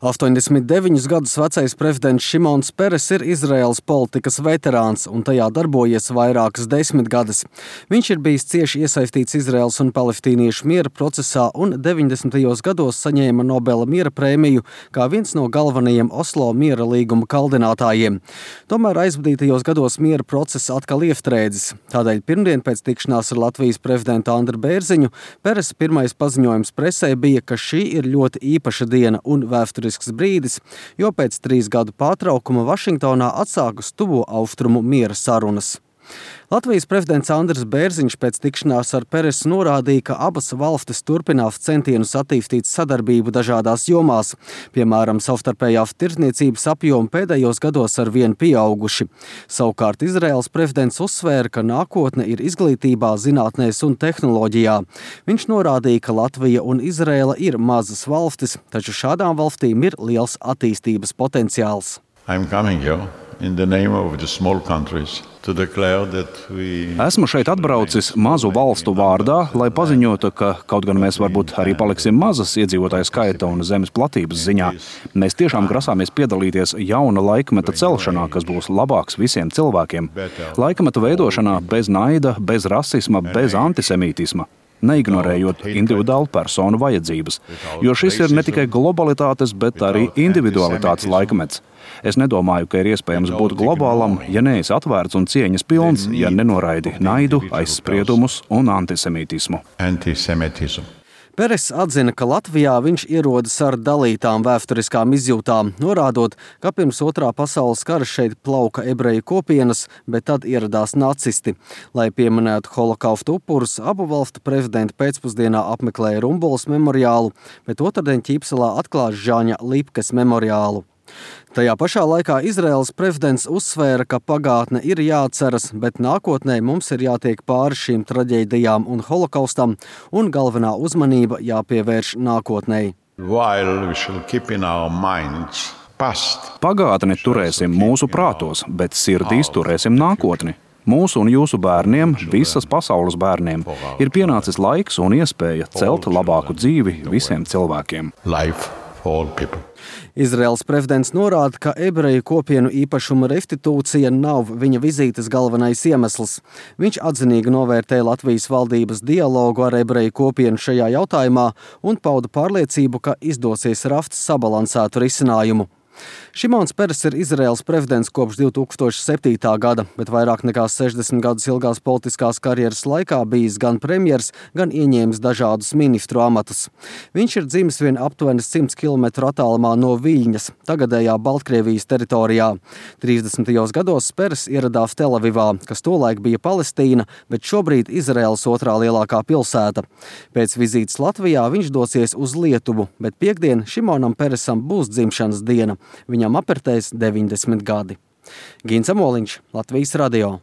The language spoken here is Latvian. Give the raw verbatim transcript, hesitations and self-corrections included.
astoņdesmit deviņus gadus vecais prezidents Šimons Peres ir Izraēlas politikas veterāns un tajā darbojies vairākas desmitgades. Viņš ir bijis cieši iesaistīts Izraēlas un palestīniešu miera procesā un deviņdesmitajos gados saņēma Nobela miera prēmiju kā viens no galvenajiem Oslo miera līguma kaldinātājiem. Tomēr aizvadītajos gados miera process atkal iestrēdzis. Tādēļ pirmdien pēc tikšanās ar Latvijas prezidentu Andru Bērziņu Peresa pirmais paziņojums presē bija, ka šī ir ļoti īpaša diena un vēsturisks brīdis, jo pēc trīs gadu pārtraukuma Vašingtonā atsākas tuvo austrumu miera sarunas. Latvijas prezidents Andris Bērziņš pēc tikšanās ar Peresu norādīja, ka abas valstis turpinās centienus attīstīt sadarbību dažādās jomās. Piemēram, savstarpējās tirdzniecības apjomi pēdējos gados ar vien pieauguši. Savukārt Izraēlas prezidents uzsvēra, ka nākotne ir izglītībā, zinātnēs un tehnoloģijā. Viņš norādīja, ka Latvija un Izraēla ir mazas valstis, taču šādām valstīm ir liels attīstības potenciāls. I'm coming here in the name of the small countries. Esmu šeit atbraucis mazu valstu vārdā, lai paziņotu, ka kaut gan mēs varbūt arī paliksim mazas iedzīvotāju skaita un zemes platības ziņā, mēs tiešām grasāmies piedalīties jauna laikmeta celšanā, kas būs labāks visiem cilvēkiem. Laikmeta veidošanā bez naida, bez rasisma, bez antisemītisma. Neignorējot individuālu personu vajadzības, jo šis ir ne tikai globalitātes, bet arī individualitātes laikmets. Es nedomāju, ka ir iespējams būt globālam, ja neesi atvērts un cieņas pilns, ja nenoraidi naidu, aizspriedumus un antisemītismu. Antisemitism. Peres atzina, ka Latvijā viņš ierodas ar dalītām vēsturiskām izjūtām, norādot, ka pirms otrā pasaules kara šeit plauka ebreju kopienas, bet tad ieradās nacisti. Lai pieminētu holokausta upurus, abu valstu prezidenti pēcpusdienā apmeklēja Rumbulas memoriālu, bet otrdien Ķīpselā atklās Žaņa Lipkes memoriālu. Tajā pašā laikā Izraēlas prezidents uzsvēra, ka pagātne ir jāatceras, bet nākotnē mums ir jātiek pāri šīm traģēdijām un holokaustam, un galvenā uzmanība jāpievērš nākotnei. Pagātni turēsim mūsu prātos, bet sirdīs turēsim nākotni. Mūsu un jūsu bērniem, visas pasaules bērniem, ir pienācis laiks un iespēja celt labāku dzīvi visiem cilvēkiem. Life for all people. Izraēlas prezidents norāda, ka ebreju kopienu īpašuma restitūcija nav viņa vizītes galvenais iemesls. Viņš atzinīgi novērtēja Latvijas valdības dialogu ar ebreju kopienu šajā jautājumā un pauda pārliecību, ka izdosies rast sabalansētu risinājumu. Šimons Peres ir Izraēlas prezidents kopš divi tūkstoši septītā gada, bet vairāk nekā sešdesmit gadus ilgās politiskās karjeras laikā bijis gan premjers, gan ieņēmis dažādus ministru amatus. Viņš ir dzimis vien aptuveni simts kilometru attālumā no Viļņas, tagadējā Baltkrievijas teritorijā. trīsdesmitajos gados Peres ieradās Telavivā, kas tolaik bija Palestīna, bet šobrīd Izraēlas otrā lielākā pilsēta. Pēc vizītes Latvijā viņš dosies uz Lietuvu, bet piektdien Šimonam Peresam būs dzimšanas diena. Viņam apritēs deviņdesmit gadi. Gins Amoliņš, Latvijas radio.